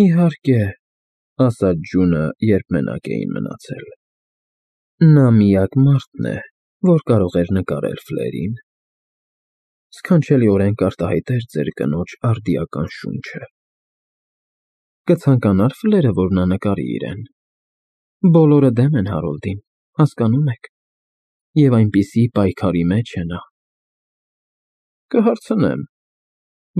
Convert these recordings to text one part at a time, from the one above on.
Իհարկե, ասաց Ջունը, երբ մենակ էին մնացել։ Նա միակ մարդն է, որ կարող էր նկարել Ֆլերին։ Սքանչելիորեն կարտահայտեր ձեր կնոջ արդիական շունչը։ Կցանկանա՞ր Ֆլերը, որ նա նկարի իրեն։ Բոլորը դեմ են Հարոլդին, հասկանում եք, և այնպիսի պայքարի մեջ է նա։ Կհարցնեմ,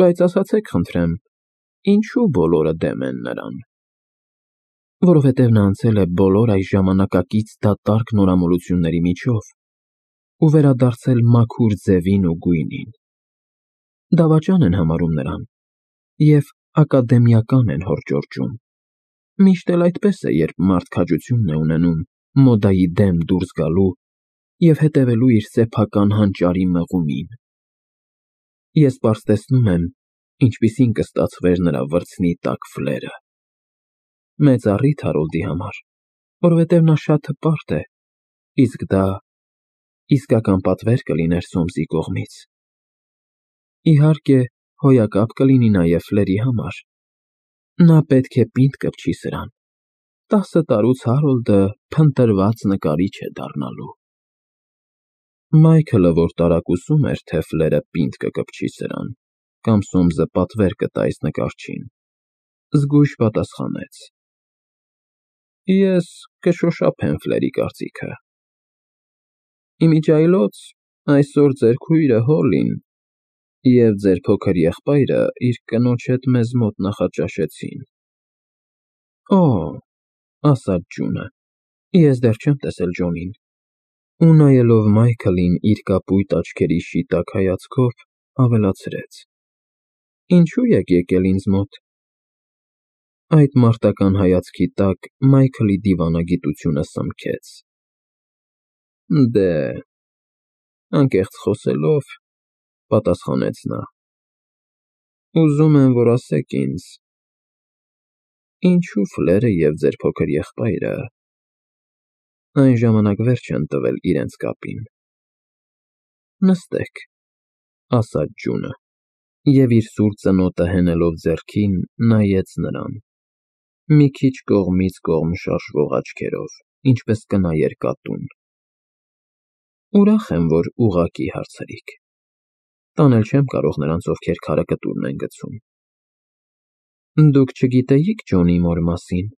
բայց ասացեք խնդրեմ, ինչու բոլորը դեմ են նրան։ Որովհետև նա անցել է բոլոր այս ժամանակակից դատարկ նորամոլությունների միջով ու վերադարձել մաքուր ձևին ու գույնին։ Դավաճան են համարում նրան և ակադեմիական են հորդորճում։ Միշտ էլ այդպես է, երբ մարդ քաջություն է ունենում մոդայի դեմ դուրս գալու և հետևելու իր սեփական հանճարի մղումին։ Ես պարզ տեսնում եմ, ինչպիսին կստացվեր նրա վրձնի տակ Ֆլերը։ Մեծ առիթ Հարոլդի համար, որովհետև նա շատ հպարտ է, իսկ դա իսկական պատվեր կլիներ Սոմսի կողմից։ Իհարկե, հոյակապ կլինի նաև Ֆլերի համար։ Նա պետք է պինդ կպչի սրան։ 10 տարուց Հարոլդը փնտրված նկարիչ է դառնալու։ Մայքլը, որ տարակուսում էր, թե Ֆլերը պինդ կկպչի սրան, կամ Սոմսը պատվեր կտա այս նկարչին, զգույշ պատասխանեց. Ես կշոշափեմ Ֆլերի կարծիքը։ Իմիջիայլոց այսօր ձեր քույրը Հոլին և ձեր փոքր եղբայրը իր կնոջ հետ մեզ մոտ նախաճաշեցին։ Օ, ասաց Ջունը, ես դեռ չեմ տեսել Ջոնին, ու նայելով Մայքլին իր կապույտ աչքերի շիտակ հայացքով, ավելացրեց. Ինչու եք եկել ինձ մոտ։ Այդ մարտական հայացքի տակ Մայքլի դիվանագիտությունը սմքեց։ Դե, անկեղծ խոսելով, պատասխանեց նա, ուզում եմ, որ ասեք ինձ, ինչու Ֆլերը և ձեր փոքր եղբայրը այն ժամանակ վերջ են տվել իրենց կապին։ Նստեք, ասաց Ջունը, և իր սուր ծնոտը հենելով ձեռքին, նայեց նրան, մի քիչ կողմից կողմ շարժվող աչքերով, ինչպես կնայեր կատուն։ Ուրախ եմ, որ ուղղակի հարցրիք։ Տանել չեմ կարող նրանց, ովքեր քարը կտուրն են գցում։ Դուք չգիտեիք Ջոնի մոր մասին։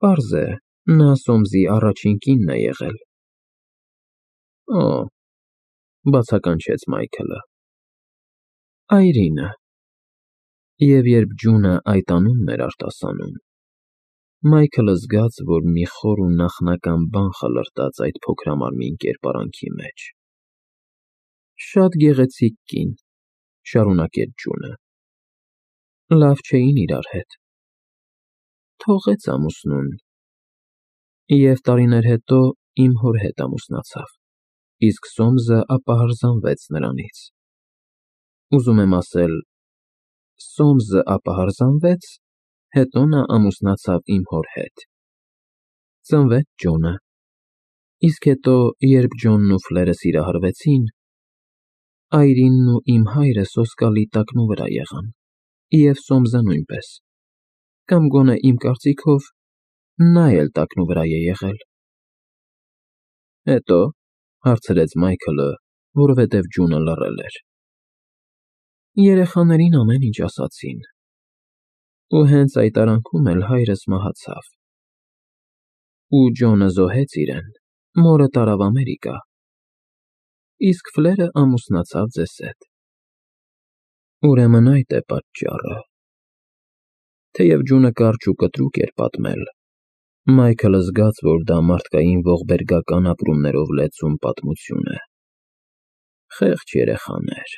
Պարզ է, նա Սոմսի առաջին կինն է եղել։ Օ, բացականչեց Մայքլը։ Այրինը։ Եվ երբ Ջունը այդ անունն էր արտասանում, Մայքլը զգաց, որ մի խոր ու նախնական բան խլրտաց այդ փոքրամարմին կերպարանքի մեջ։ Շատ գեղեցիկ կին, շարունակեց Ջունը։ Լավ չէին իրար հետ։ Թողեց ամուսնուն, և տարիներ հետո իմ հոր հետ ամուսնացավ, իսկ Սոմսը ապահարզանվեց նրանից։ Ուզում եմ ասել, Սոմսը ապահարզանվեց, հետո նա ամուսնացավ իմ հոր հետ։ Ծնվեց Ջոնը, իսկ հետո, երբ Ջոնն ու Ֆլերը սիրահարվեցին, այրինն ու իմ հայրը սոսկալի տակնուվրա եղան, և Սոմսը նույնպես, կամ գոնե իմ կարծիքով, նա էլ տակնուվրա է եղել։ Հետո, հարցրեց Մայքլը, որովհետև Ջունը լռել էր։ Երեխաներին ամեն ինչ ասացին, ու հենց այդ արանքում էլ հայրս մահացավ։ Ու Ջոնը զոհեց իրեն, մորը տարավ Ամերիկա, իսկ Ֆլերը ամուսնացավ ձեզ հետ։ Ուրեմն այդ է պատճառը։ Թեև Ջունը կարճ ու կտրուկ էր պատմել, Մայքլը զգաց, որ դա մարդկային ողբերգական ապրումներով լեցուն պատմություն է։ Խեղճ երեխաներ։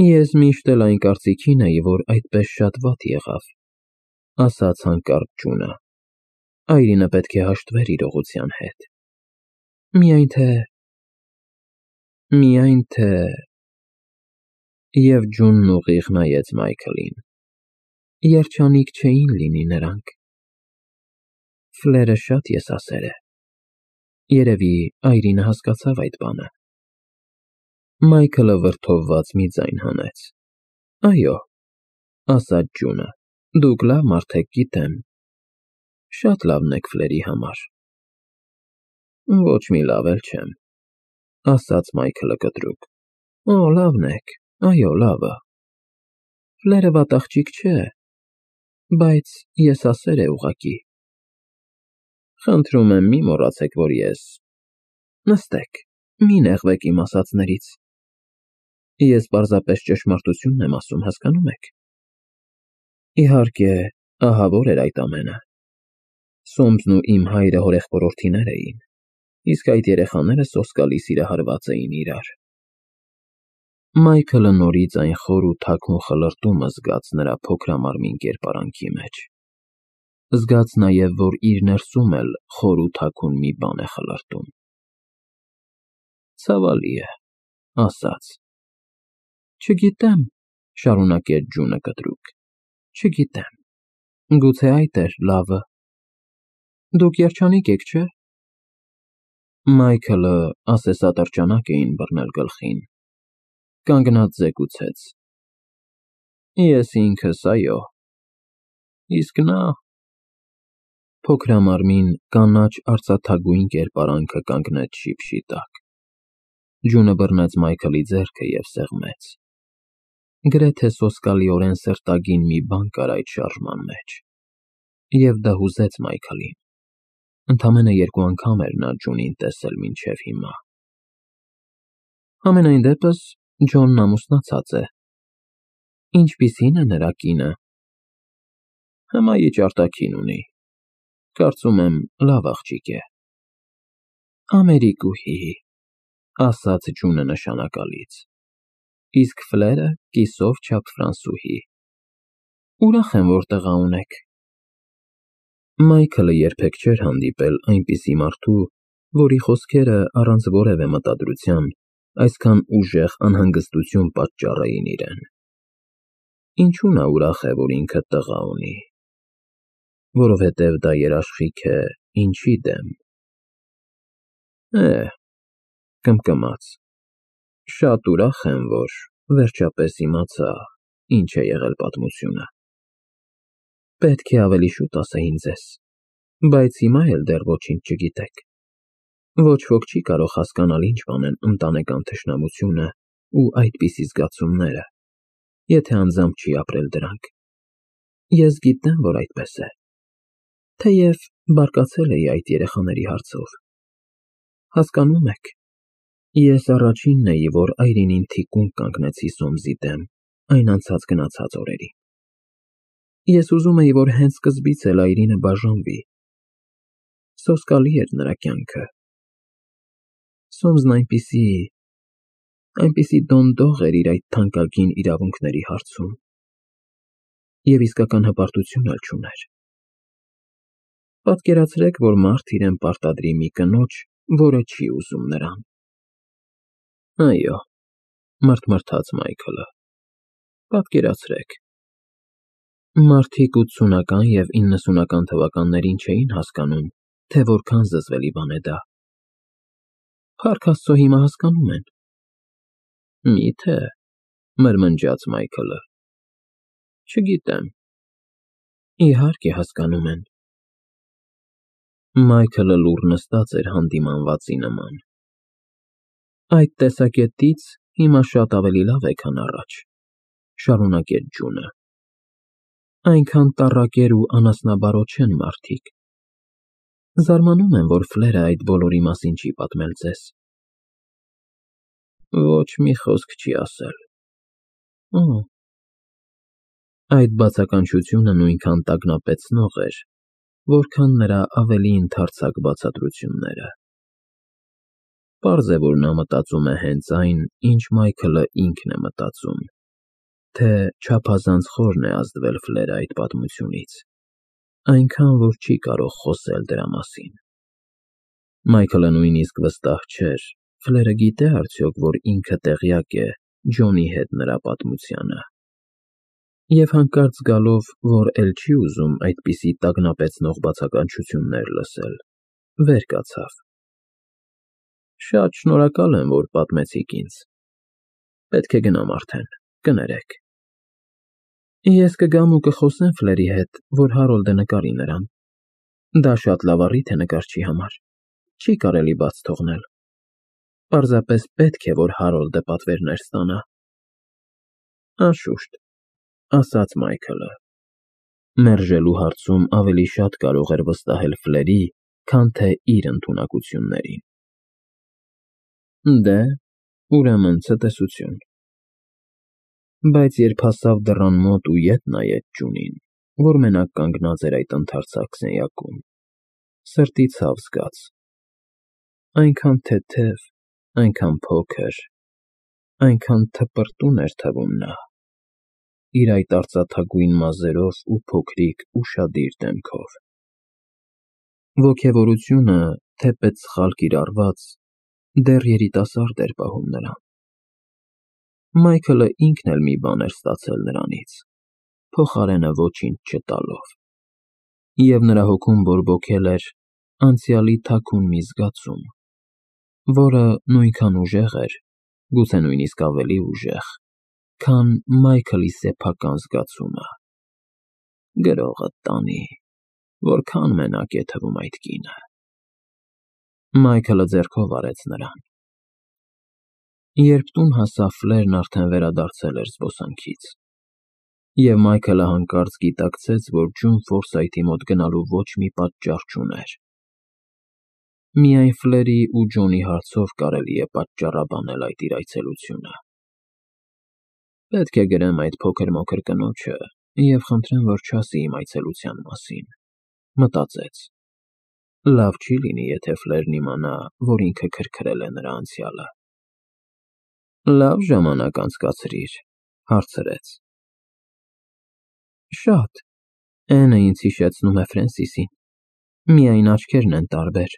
Ես միշտ էլ այն կարծիքին էի, որ այդպես շատ վատ եղավ, ասաց հանկարծ Ջունը։ Այրինը պետք է հաշտվեր իրողության հետ։ Միայն թե… Եվ Ջունն ուղիղ նայեց Մայքլին։ Երջանիկ չէին լինի նրանք։ Ֆլերը շատ եսասեր է։ Երևի այրինը հասկացավ այդ բանը։ Մայքլը վրդովված մի ձայն հանեց։ Այո, ասաց Ջունը, դուք լավ մարդ եք, գիտեմ, շատ լավն եք Ֆլերի համար։ Ոչ մի լավ էլ չեմ, ասաց Մայքլը կտրուկ։ Օ, լավն եք, այո, լավը։ Ֆլերը վատ աղջիկ չէ, բայց եսասեր է ուղղակի։ Խնդրում եմ, մի մոռացեք, որ ես… Նստեք, մի նեղվեք իմ ասածներից։ Ես պարզապես ճշմարտությունն եմ ասում, հասկանում եք։ Իհարկե, ահավոր էր այդ ամենը։ Սոմսն ու իմ հայրը հորեղբորորդիներ էին, իսկ այդ երեխաները սոսկալի սիրահարված էին իրար։ Մայքլը նորից այն խոր ու թաքուն խլրտումը զգաց նրա փոքրամարմին կերպարանքի մեջ։ Զգաց նաև, որ իր ներսում էլ խոր ու թաքուն մի բան է խլրտում։ Ցավալի է, ասաց։ Չգիտեմ, շարունակեց Ջունը կտրուկ, չգիտեմ, գուցե այդ էր լավը։ Դուք երջանիկ եք, չէ՞։ Մայքլը ասեսատրճանակ էին բռնել գլխին, կանգնած զեկուցեց. Ես ինքս, այո, իսկ նա… Փոքրամարմին կանաչ արծաթագույն կերպարանքը կանգնեց շիփշի տակ։ Ջունը բռնեց Մայքլի ձեռքը և սեղմեց։ Գրեթե սոսկալիորեն սրտագին մի բան կար այդ շարժման մեջ։ Եվ դա հուզեց Մայքլին։ Ընդամենը 2 անգամ էր նա Ջունին տեսել մինչև հիմա։ Համենայն դեպս, Ջոնն ամուսնացած է։ Ինչպիսի՞ն է նրա կինը։ Հմայիչ արտաքին ունի։ Կարծում եմ, լավ աղջիկ է։ Ամերիկուհի, ասաց Ջունը նշանակալից։ Իսկ Ֆլերը կիսով չափ ֆրանսուհի։ Ուրախ եմ, որ տղա ունեք։ Մայքլը երբեք չէր հանդիպել այնպիսի մարդու, որի խոսքերը առանց որևէ մտադրության այսքան ուժեղ անհանգստություն պատճառեին իրեն։ Ինչու նա ուրախ է, որ ինքը տղա ունի։ Որովհետև դա երաշխիք է ինչի դեմ։ Կմկմաց։ Շատ ուրախ եմ, որ վերջապես իմացա, ինչ է եղել պատմությունը։ Պետք է ավելի շուտ ասեին ձեզ, բայց հիմա էլ դեռ ոչինչ չգիտեք։ Ոչ ոք չի կարող հասկանալ ինչ բան են ընտանեկան թշնամությունը ու այդպիսի զգացումները, եթե անձամբ չի ապրել դրանք։ Ես գիտեմ, որ այդպես է։ Թեև բարկացել էի այդ երեխաների հարցով։ Հասկանում եք, ես առաջինն էի, որ այրինին թիկունք կանգնեցի Սոմսի դեմ այն անցած-գնացած օրերին։ Ես ուզում էի, որ հենց սկզբից էլ այրինը բաժանվի։ Սոսկալի էր նրա կյանքը։ Սոմսն այնպիսի դոնդող էր իր այդ թանկագին իրավունքների հարցում։ Եվ իսկական հպարտություն էլ չուներ։ Պատկերացրեք, որ մարդ իրեն պարտադրի մի կնոջ, որը չի ուզում նրան։ Այո, մռթմռթաց Մայքլը, պատկերացրեք։ Մարդիկ 80-ական և 90-ական թվականներին չէին հասկանում, թե որքան զզվելի բան է դա։ Փառք Աստծո, հիմա հասկանում են։ Մի՞թե, մրմնջաց Մայքլը։ Չգիտեմ։ Իհարկե հասկանում են։ Մայքլը լուռ նստած էր հանդիմանվածի նման։ Այդ տեսակետից հիմա շատ ավելի լավ է, քան առաջ, շարունակեց Ջունը։ Այնքան տառակեր ու անասնաբարոտ չեն մարդիկ։ Զարմանում եմ, որ Ֆլերը այդ բոլորի մասին չի պատմել ձեզ։ Ոչ մի խոսք չի ասել։ Այդ բացականչությունը նույնքան տագնապեցնող էր, որքան նրա ավելի ընդարձակ բացատրությունները։ Պարզ է, որ նա մտածում է հենց այն, ինչ Մայքլը ինքն է մտածում, թե չափազանց խորն է ազդվել Ֆլերը այդ պատմությունից, այնքան, որ չի կարող խոսել դրա մասին։ Մայքլը նույնիսկ վստահ չէր, Ֆլերը գիտե արդյոք, որ ինքը տեղյակ է Ջոնի հետ նրա պատմությանը։ Եվ հանկարծ զգալով, որ էլ չի ուզում այդպիսի տագնապեցնող բացականչություններ լսել, վեր կացավ։ Շատ շնորհակալ եմ, որ պատմեցիք ինձ։ Պետք է գնամ արդեն, կներեք։ Ես կգամ ու կխոսեմ Ֆլերի հետ, որ Հարոլդը նկարի նրան։ Դա շատ լավ առիթ է նկարչի համար, չի կարելի բաց թողնել։ Պարզապես պետք է, որ Հարոլդը պատվերներ ստանա։ Անշուշտ, ասաց Մայքլը։ Մերժելու հարցում ավելի շատ կարող էր վստահել Ֆլերի, քան թե իր ընդունակություններին։ Դե, ուրեմն ցտեսություն։ Բայց երբ հասավ դռան մոտ ու ետ նայեց Ջունին, որ մենակ կանգնած էր այդ ընդարձակ սենյակում, սրտի ցավ զգաց։ Այնքան թեթև, այնքան փոքր, այնքան թպրտուն էր թվում նա, իր այդ արծաթագույն մազերով ու փոքրիկ, ուշադիր դեմքով։ Ոգևորությունը, թեպետ սխալ կիրառված, դեռ երիտասարդ էր պահում նրան։ Մայքլը ինքն էլ մի բան էր ստացել նրանից, փոխարենը ոչինչ չտալով, և նրա հոգում բորբոքել էր անցյալի թաքուն մի զգացում, որը նույնքան ուժեղ էր, գուցե նույնիսկ ավելի ուժեղ, քան Մայքլի սեփական զգացումը։ Գրողդ տանի, որքան մենակ է թվում այդ կինը։ Մայքլը ձեռքով արեց նրան։ Երբ տուն հասավ, Ֆլերն արդեն վերադարձել էր զբոսանքից, և Մայքլը հանկարծ գիտակցեց, որ Ջուն Ֆորսայթի մոտ գնալու ոչ մի պատճառ չուներ։ Միայն Ֆլերի ու Ջոնի հարցով կարելի է պատճառաբանել այդ իր այցելությունը։ Պետք է գրեմ այդ փոքր-մոքր կնոջը և խնդրեմ, որ չասի իմ այցելության մասին, մտածեց։ Լավ չի լինի, եթե Ֆլերն իմանա, որ ինքը քրքրել է նրա անցյալը։ Լավ ժամանակ անցկացրիր, հարցրեց։ Շատ։ Էնը ինձ հիշեցնում է Ֆրենսիսին, միայն աչքերն են տարբեր։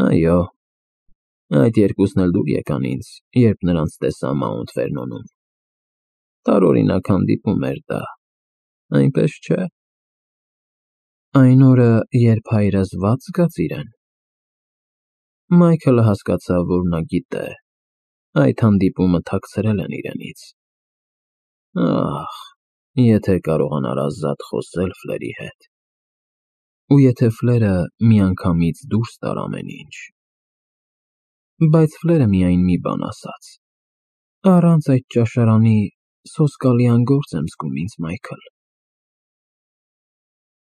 Այո, այդ երկուսն էլ դուր եկան ինձ, երբ նրանց տեսա Մաունտ Վերնոնում։ Տարօրինակ հանդիպում էր դա, այնպես չէ։ Այն օրը, երբ հայրս վատ զգաց իրեն։ Մայքլը հասկացավ, որ նա գիտե, այդ հանդիպումը թաքցրել են իրենից։ Ահ, եթե կարողանար ազատ խոսել Ֆլերի հետ։ Ու եթե Ֆլերը միանգամից դուրս տար ամեն ինչ։ Բայց Ֆլերը միայն մի բան ասաց. Առանց այդ ճաշարանի սոսկալի անգործ եմ զգում ինձ, Մայքլ։